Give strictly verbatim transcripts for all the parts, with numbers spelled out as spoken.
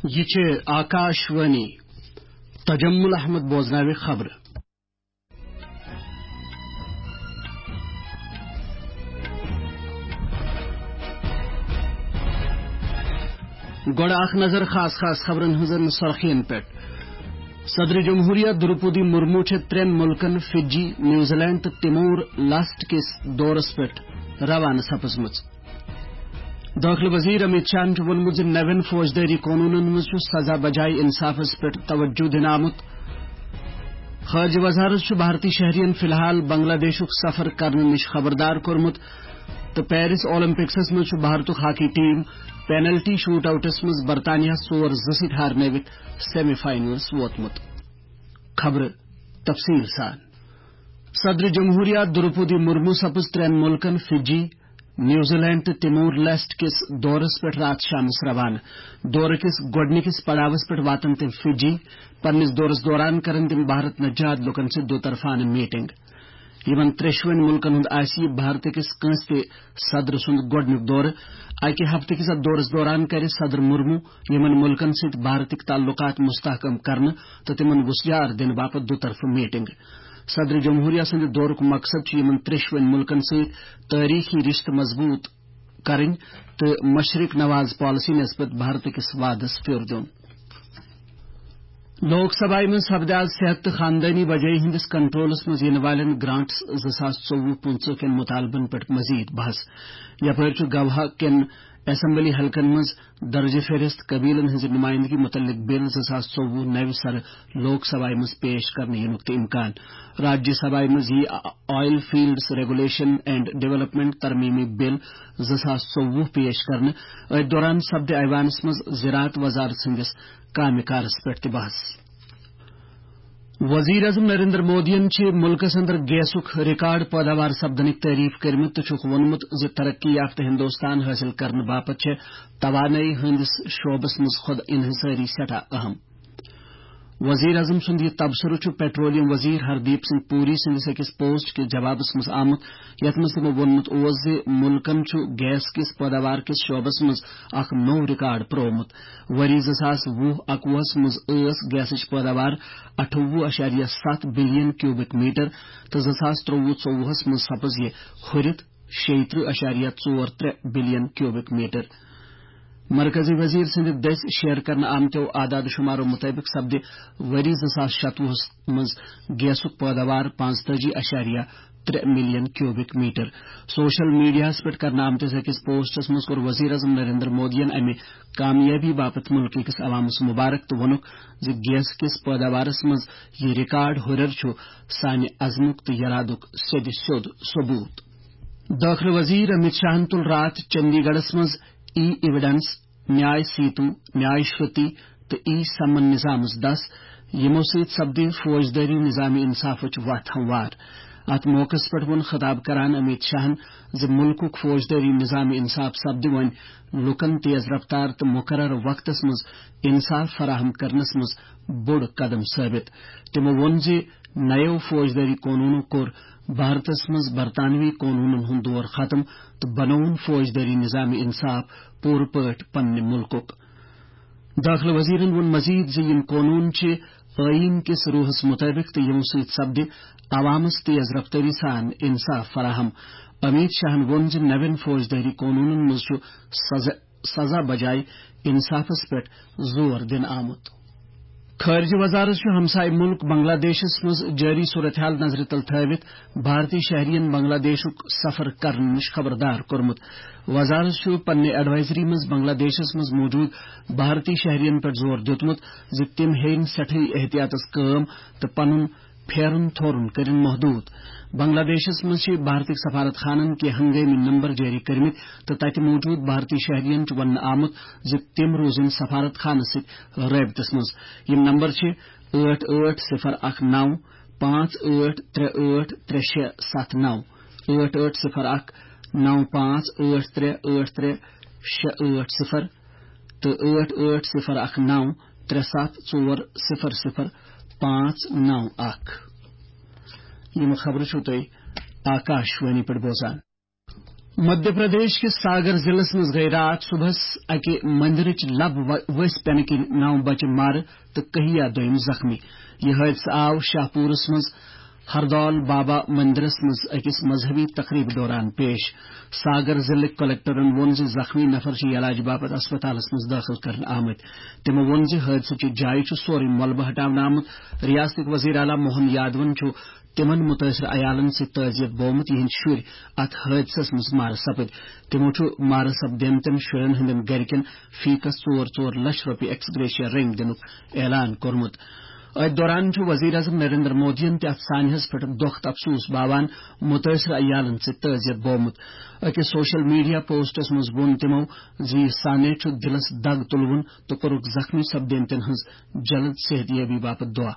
یہِ چھِ آکاش وانی۔ تجمل احمد بوزناوِ خبرٕ۔ گۄڈٕ اکھ نظر خاص خاص خبرن ہٕنٛزن سرخین پٮ۪ٹھ۔ صدر جمہوریہ دروپدی مرمو چھےٚ ترٛٮ۪ن مُلکن فجی، نیوزی لینڈ تہٕ تمور لسٹ کِس دورس پٮ۪ٹھ روانہٕ سپٕزمٕژ۔ دٲخلہٕ وزیر امیت شاہن چھُ ووٚنمُت زِ نوٮ۪ن فوجدٲری قونوٗنن منٛز چھُ سزا بجایہِ انصافس پٮ۪ٹھ توجہ دِنہٕ آمُت۔ خارجہ وزارت چھُ بھارتی شہرین فی الحال بنگلہ دیشُک سفر کرنہٕ نِش خبردار کوٚرمُت تہٕ پیرس اولمپکسس منٛز چھُ بھارتُک ہاکی ٹیم پینلٹی شوٹ آؤٹس منٛز برطانیہ ژور زٕ سۭتۍ ہارنٲوِتھ سیمی فائنلس ووتمُت۔ خبرٕ تفصیل سان۔ صدر جمہوریہ دروپدی مرمو سپٕز ترٛٮ۪ن مُلکن فجی، نیوزی لینڈ تہٕ تمور لسٹ کِس دورس پٮ۪ٹھ راتھ شامس روانہٕ۔ دورٕ کِس گۄڈٕنِکِس پڑاوس پٮ۪ٹھ واتن تِم فجی۔ پننِس دورس دوران کرن تِم بھارت نجاد لوٗکن سۭتۍ دو طرفانہٕ میٹنگ۔ یِمن ترٛیشوٕنۍ مُلکن ہُنٛد آسہِ یہِ بھارتہٕ کِس کٲنٛسہِ تہِ صدرٕ سُنٛد گۄڈٕنیُک دورٕ۔ اَکہِ ہفتہٕ کِس اَتھ دورس دوران کرِ صدر مرمو یِمن مُلکن سۭتۍ بھارتٕکۍ تعلقات مستحکم کرنہٕ تہٕ تِمن وُژھ یار دِنہٕ باپتھ دو طرفہٕ میٹنگ۔ صدر جمہوریہ سٕنٛدِ دورُک مقصد چھُ یِمن ترٛیشوٕنۍ مُلکن سۭتۍ تٲریخی رشتہٕ مضبوط کرٕنۍ تہٕ مشرق نواز پالیسی نسبت بھارت کِس وعدس پھیُر دیُن۔ لوک سبھایہ منٛز سپدِ آز صحت تہٕ خاندٲنی بجٲیی ہٕنٛدِس کنٹرولس منٛز یِنہٕ والٮ۪ن گرانٹس زٕ ساس ژوٚوُہ پٕنٛژٕہ کٮ۪ن مُطالبن پٮ۪ٹھ مزید بحث۔ یپٲرۍ چھُ گواہ کٮ۪ن اسمبلی حلقن منٛز درجہ فہرست قبیلن ہٕنٛزِ نمائندگی متعلق بل زٕ ساس ژوٚوُہ نوِ سرٕ لوک سبھایہ منٛز پیش کرنہٕ یِنُک تہِ امکان۔ راجیہ سبھایہ منٛز یِیہِ oil fields regulation and development ترمیمی بل زٕ ساس ژوٚوُہ پیش کرنہٕ۔ أتھۍ دوران سپدِ ایوانس منٛز زراعت وزارت سٕنٛدِس کامہِ کارس پٮ۪ٹھ تہِ بحث۔ وزیر اعظم نریندر مودیَن چھِ مُلکَس اندر گیسُک ریکارڈ پٲداوار سپدنٕکۍ تعریف کٔرمٕتۍ تہٕ چھُکھ ووٚنمُت زِ ترقی یافتہٕ ہندوستان حٲصِل کرنہٕ باپتھ چھِ توانٲیی ہٕنٛدِس شعبس منٛز خود انحصٲری سٮ۪ٹھاہ اہم۔ وزیر اعظم سُنٛد یہِ تبصرٕ چھُ پیٹرولیم وزیر ہردیپ سنگھ پوری سٕنٛدِس أکِس پوسٹ کِس جوابس منٛز آمُت، یَتھ منٛز تِمو ووٚنمُت اوس زِ مُلکَن چھُ گیس کِس پٲداوار کِس شعبس منٛز اکھ نوٚو ریکارڈ پرٛوومُت۔ ؤری زٕ ساس وُہ اَکوُہَس منٛز ٲس گیسٕچ پٲداوار اَٹھووُہ اَشاریہ ستھ بلین کیوبک میٹر تہٕ زٕ ساس ترٛوٚوُہ ژوٚوُہَس منٛز سپٕز یہِ ہُرِتھ شیٚیہِ ترٕٛہ اَشاریہ ژور ترٛےٚ بلین کیوبک میٹر۔ مرکزی وزیر سٕنٛدِ دٔسۍ شیئر کرنہٕ آمتیو اعداد و شمارو مطٲبق سپدِ ؤری زٕ ساس شَتوُہَس منٛز گیسُک پٲداوار پانٛژتٲجی اَشاریہ ترٛےٚ ملین کیوبک میٹر۔ سوشل میڈیاہَس پٮ۪ٹھ کرنہٕ آمتِس أکِس پوسٹس منٛز کوٚر وزیر اعظم نریندر مودیَن امہِ کامیٲبی باپتھ مُلکہٕ کِس عوامس مبارک تہٕ ووٚنُکھ زِ گیس کِس پٲداوارس منٛز یہِ ریکارڈ ہُرٮ۪ر چھُ سانہِ عزمُک تہٕ یرادُک سیٚدِ سیوٚد ثبوت۔ دٲخلہٕ وزیر امیت شاہن تُل راتھ چندی گڑھس منٛز ای ایویڈنس، نیاے سیتو، نیاے شروتی تہٕ ای سمن نظامس دس، یِمو سۭتۍ سپدِ فوجدٲری نظام انصافٕچ وتھ ہموار۔ اتھ موقعس پٮ۪ٹھ ووٚن خطاب کران امیت شاہن زِ مُلکُک فوجدٲری نظام انصاف سپدِ وۄنۍ لوٗکن تیز رفتار تہٕ مقرر وقتس منٛز انصاف فراہم کرنس منٛز بوٚڑ قدم ثٲبت۔ تِمو ووٚن زِ نَیو فوجدٲری قونوٗنو کوٚر بھارتس منٛز برطانوی قونوٗنن ہُنٛد دور ختم تہٕ بنووُن فوجدٲری نظام انصاف پوٗرٕ پٲٹھۍ پننہِ مُلکُک۔ دٲخلہٕ وزیرن ووٚن مزید زِ یِم قونوٗن چھِ ٲییٖن کِس روحس مُطٲبِق تہٕ یِمو سۭتۍ سپدِ عوامس تیز رفتٲری سان انصاف فراہم۔ امیت شاہن ووٚن زِ نوٮ۪ن فوجدٲری قونوٗنن منٛز چھُ سزا، سزا بجایہِ انصافس پٮ۪ٹھ زور دِنہٕ آمُت۔ خارجہ وزارت چھُ ہمسایہ مُلک بنگلہ دیشس منٛز جٲری صورتحال نظرِ تل تھٲوِتھ بھارتی شہرین بنگلہ دیشُک سفر کرنہٕ نِش خبردار کوٚرمُت۔ وزارت چھُ پننہِ ایڈوائزری منٛز بنگلہ دیشس منٛز موجود بھارتی شہرین پٮ۪ٹھ زور دیُتمُت زِ تِم ہیٚیِن سٮ۪ٹھٕے احتیاطس کٲم تہٕ پنُن پھیرُن تھورُن کٔرِن محدوٗد۔ بنگلہ دیشس منٛز چھِ بھارتٕکۍ سفارت خانن کینٛہہ ہنگٲمی نمبر جٲری کٔرمٕتۍ تہٕ تتہِ موجود بھارتی شہرین چھُ وننہٕ آمُت زِ تِم روزن سفارت خانس سۭتۍ رٲبطس منٛز۔ یِم نمبر چھِ ٲٹھ ٲٹھ صفر اکھ نو پانٛژھ ٲٹھ ترٛےٚ ٲٹھ ترٛےٚ شےٚ ستھ نو، ٲٹھ ٲٹھ صفر اکھ نو پانٛژھ ٲٹھ ترٛےٚ ٲٹھ ترٛےٚ شےٚ ٲٹھ صفر تہٕ ٲٹھ ٲٹھ صفر اکھ نو ترٛےٚ ستھ ژور صفر صفر پانٛژھ نو اکھ۔ یِم خبرٕ چھِو تُہۍ آکاش وانی پٮ۪ٹھ بوزان۔ مدھیہ پردیش کِس ساگر ضلعس منٛز گٔیہِ راتھ صبحس اکہِ مندرٕچ لب و-، ؤسۍ پٮ۪نہٕ کِنۍ نو بچہِ مارٕ تہٕ کہیا دوٚیِم زخمی۔ یہِ حٲدثہٕ آو شاہ پوٗرس منٛز ہردول بابا مندرس منٛز أکِس مذہبی تقریبہِ دوران پیش۔ ساگر ضلعٕکۍ کلکٹرن ووٚن زِ زخمی نفر چھِ علاج باپتھ اسپتالس منٛز دٲخل کرنہٕ آمٕتۍ۔ تِمو ووٚن زِ حٲدثٕچہِ جایہِ چھُ سورُے ملبہٕ ہٹاونہٕ آمُت۔ ریاستٕکۍ وزیر اعلیٰ موہن یادون چھُ تِمن مُتٲثرٕ عیالن سۭتۍ تعزیت بومُت، یِہنٛدۍ شُرۍ اتھ حٲدثس منٛز مارٕ سپٕدۍ۔ تِمو چھُ مارٕ سپدیمتٮ۪ن شُرٮ۪ن ہٕنٛدٮ۪ن گرِکٮ۪ن فیکس ژور ژور لچھ رۄپیہِ ایکس گریشیا رٔنگۍ دِنُک اعلان کوٚرمُت۔ أتھۍ دوران چھُ وزیر اعظم نریندر مودیَن تہِ اتھ سانحس پٮ۪ٹھ دۄکھ تہٕ افسوس باوان مُتٲثرٕ عیالن سۭتۍ تعزیت بومُت۔ أکِس سوشل میڈیا پوسٹس منٛز ووٚن تِمو زِ یہِ سانحہ چھُ دِلس دگ تُلوُن تہٕ کوٚرُکھ زخمی سپدیمتٮ۪ن ہٕنٛز جلد صحت یابی باپتھ دعا۔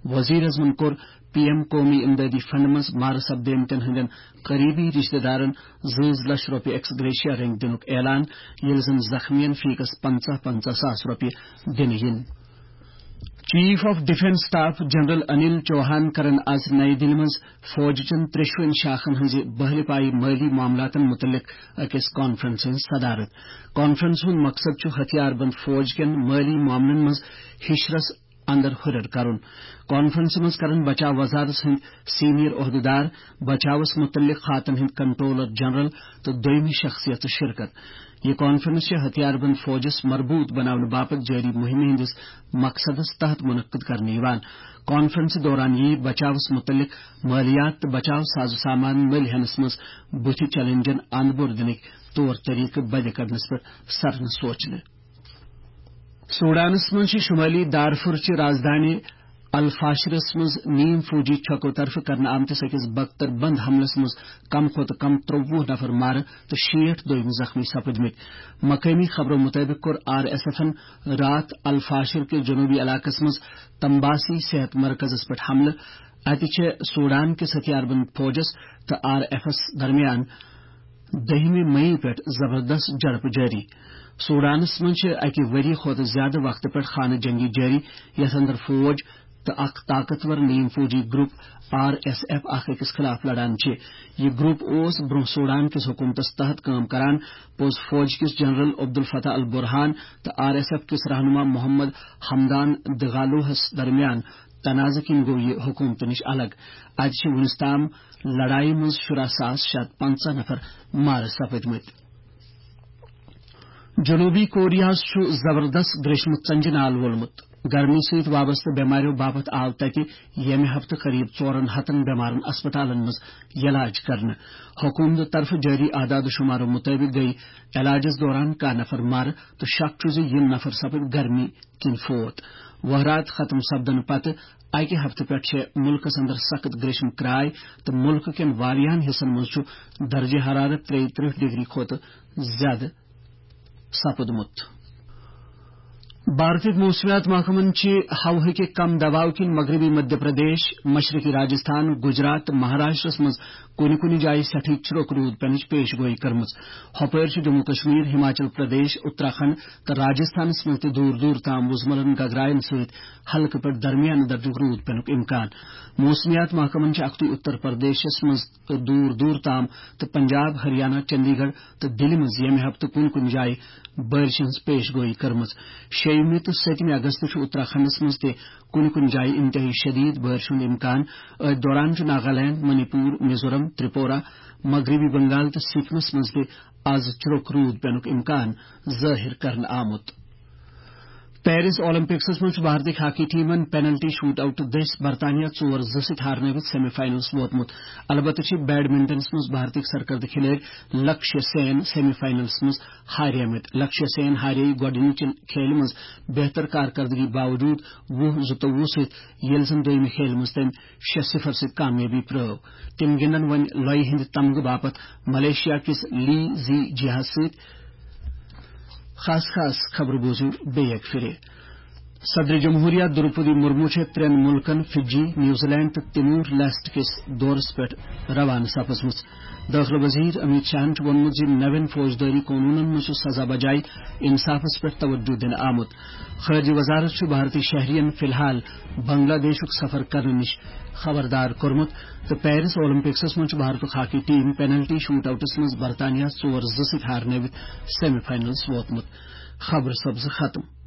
وزیر اعظمن کوٚر پی ایم قومی امدادی فنڈ منٛز مارٕ سپدیمتٮ۪ن ہٕنٛدٮ۪ن قریبی رشتہٕ دارن زٕ زٕ لچھ رۄپیہِ ایکس گریشیا رٔنگۍ دِنُک اعلان، ییٚلہِ زن زخمین فیکس پنژاہ پنژاہ ساس رۄپیہِ دِنہٕ یِن۔ Chief of defence staff general Anil Chauhan کرن آز نئی دِلہِ منٛز فوج چٮ۪ن ترٛیشوٕنۍ شاخن ہٕنٛزِ بہلہِ پایہِ مٲلی معاملاتن مُتعلق أکِس کانفرنسہِ ہٕنٛز صدارت۔ کانفرنس ہُنٛد مقصد چھُ ہتھیار بند فوج کٮ۪ن مٲلی معاملن منٛز ہِشرس اندر ہُرٮ۪ر کرُن۔ کانفرنسہِ منٛز کرن بچاو وزارتس ہٕنٛدۍ سینئر عہدیدار، بچاوس مُتعلق خاتن ہٕنٛدۍ کنٹرولر جنرل تہٕ دوٚیمہِ شخصیتہٕ شرکت۔ یہِ کانفرنس چھِ ہتھیار بند فوجس مربوط بناونہٕ باپتھ جٲری مُہِمہِ ہٕنٛدِس مقصدس تحت منعقد کرنہٕ یِوان۔ کانفرنسہِ دوران یِیہِ بچاوس مُتعلق مٲلیات تہٕ بچاو ساز و سامان مٔلۍ ہینس منٛز بُتھِ چیلنجن اند بور دِنٕکۍ طور طریقہٕ بدِ کڑنس پٮ۪ٹھ سرنہٕ سوچنہٕ۔ سوڈانس منٛز چھِ شمٲلی دارفور چہِ رازدانہِ الفاشرس منٛز نیم فوجی چھکو طرفہٕ کرنہٕ آمتِس أکِس بختر بند حملس منٛز کم کھۄتہٕ کم ترٛوٚوُہ نفر مارٕ تہٕ شیٹھ دوٚیمہِ زخمی سپٕدمٕتۍ۔ مقٲمی خبرو مُطٲبِق کوٚر آر ایس ایفن راتھ الفاشر کِس جنوبی علاقس منٛز تمباسی صحت مرکزس پٮ۪ٹھ حملہٕ۔ اتہِ چھِ سوڈان کِس ہتھیار بند فوجس تہٕ آر ایف ایس درمیان دٔہمہِ مئی پٮ۪ٹھ زبردست جھڑپہٕ جٲری۔ سوڈانس منٛز چھِ اَکہِ ؤری کھۄتہٕ زیادٕ وقتہٕ پٮ۪ٹھ خانہٕ جنگی جٲری، یَتھ اندر فوج تہٕ اکھ طاقتور نیم فوجی گروپ آر ایس ایف اکھ أکِس خلاف لڑان چھِ۔ یہِ گروپ اوس برٛونٛہہ سوڈان کِس حکومتس تحت کٲم کران۔ پوٚز فوج کِس جنرل عبدالفتاح البرہان تہٕ آر ایس ایف کِس رہنما محمد حمدان دغالوہس درمیان تنازٕ کِنۍ گوٚو یہِ حکومتہٕ نِش الگ۔ اتہِ چھِ وُنِس تام لڑایہِ منٛز شُراہ ساس شےٚ ہتھ پنژاہ نفر مارٕ سپٕدمٕتۍ۔ جنوبی کوریاہس چھُ زبردست گریشمُت ژنجہِ نال وولمُت۔ گرمی سۭتۍ وابستہٕ بٮ۪ماریو باپتھ آو تتہِ ییٚمہِ ہفتہٕ قریب ژورن ہتن بٮ۪مارن اسپتالن منٛز یلاج کرنہٕ۔ حکومتہٕ طرفہٕ جٲری اعداد و شمارو مُطٲبِق گٔیہِ علاجس دوران کاہ نفر مارٕ تہٕ شک چھُ زِ یِم نفر سپٕدۍ گرمی کِنۍ فوت۔ وہرات ختم سپدنہٕ پتہٕ اکہِ ہفتہٕ پٮ۪ٹھ چھےٚ مُلکس اندر سخت گریشم کراے تہٕ مُلکہٕ کٮ۪ن واریاہن حصن منٛز چھُ درجہ حرارت ترٛیہِ ترٕٛہ ڈگری کھۄتہٕ زیادٕ سپُدمُت۔ بھارتٕکۍ موسمیات محکمن چھِ ہوہٕکہِ کم دباو کِنۍ مغربی مدھیہ پردیش، مشرقی راجستھان، گجرات تہٕ مہاراشٹرس منٛز کُنہِ کُنہِ جایہِ سٮ۪ٹھٕے چھُرُک روٗد پینٕچ پیش گویی کٔرمٕژ۔ ہۄپٲرۍ چھُ جموں کشمیر، ہماچل پردیش، اتراکھنڈ تہٕ راجستھانس منٛز تہِ دوٗر دوٗر تام وُزملن گگراین سۭتۍ ہلکہٕ پٮ۪ٹھ درمیانہٕ درجُک روٗد پینُک امکان۔ موسمیات محکمن چھِ اکھتُے اتر پردیشس منٛز تہٕ دوٗر دوٗر تام تہٕ پنجاب، ہریانہ، چندی گڑھ تہٕ دِلہِ منٛز ییٚمہِ ہفتہٕ کُنہِ کُنہِ جایہِ بٲرِشہِ ہٕنٛز پیش گویی کٔرمٕژ۔ شیٚیِمہِ تہٕ سٔتمہِ اگست چھُ اتراکھنڈس منٛز تہِ کُنہِ کُنہِ جایہِ انتہٲئی شدید بٲرِشہِ ہُنٛد امکان۔ أتھۍ دوران چھُ ناگالینڈ، منی پور، میزورم، ترپورہ، مغربی بنگال تہٕ سکمس منٛز تہِ از چھُرُک روٗد پینُک امکان ظٲہِر کرنہٕ آمُت۔ پیرس اولمپکسس منٛز چھُ بھارتٕکۍ ہاکی ٹیمن پینلٹی شوٹ آؤٹ دٔسۍ برطانیہ ژور زٕ سۭتۍ ہارنٲوِتھ سیمی فاینلس ووتمُت۔ البتہ چھِ بیڈمنٹنس منٛز بھارتٕکۍ سرکردٕ کھلٲڑۍ لکشیہ سین سیمی فاینلس منٛز ہاریمٕتۍ۔ لکشیہ سین ہارے گۄڈٕنِچہِ کھیلہِ منٛز بہتر کارکردگی باوجود وُہ زٕتووُہ سۭتۍ، ییٚلہِ زن دوٚیمہِ کھیلہِ منٛز تٔمۍ شےٚ صفر سۭتۍ کامیٲبی پرٲو۔ تِم گِنٛدن وۄنۍ لۄیہِ ہٕنٛدِ تمغہٕ باپتھ ملیشیا کِس لی زی جیاہس سۭتۍ۔ خاص خاص خبرٕ بوٗزِو بیٚیہِ اَکہِ پھِرِ۔ صدر جمہوریہ دروپدی مرمو چھےٚ ترٛٮ۪ن مُلکن فجی، نیوزی لینڈ تہٕ تیمور لیسٹ کِس دورس پٮ۪ٹھ روانہٕ سپٕزمٕژ۔ دٲخلہٕ وزیر امیت شاہن چھُ ووٚنمُت زِ نوٮ۪ن فوجدٲری قونوٗنن منٛز چھُ سزا بجایہِ انصافس پٮ۪ٹھ توجہ دِنہٕ آمُت۔ خارجہ وزارت چھُ بھارتی شہرین فی الحال بنگلہ دیشُک سفر کرنہٕ نِش خبردار کوٚرمُت تہٕ پیرس اولمپکسس منٛز چھُ بھارتُک ہاکی ٹیم پینلٹی شوٹ آؤٹس منٛز برطانیہ ژور زٕ سۭتۍ ہارنٲوِتھ سیمی فائنلس ووتمُت۔ خبرٕ سپزٕ ختم۔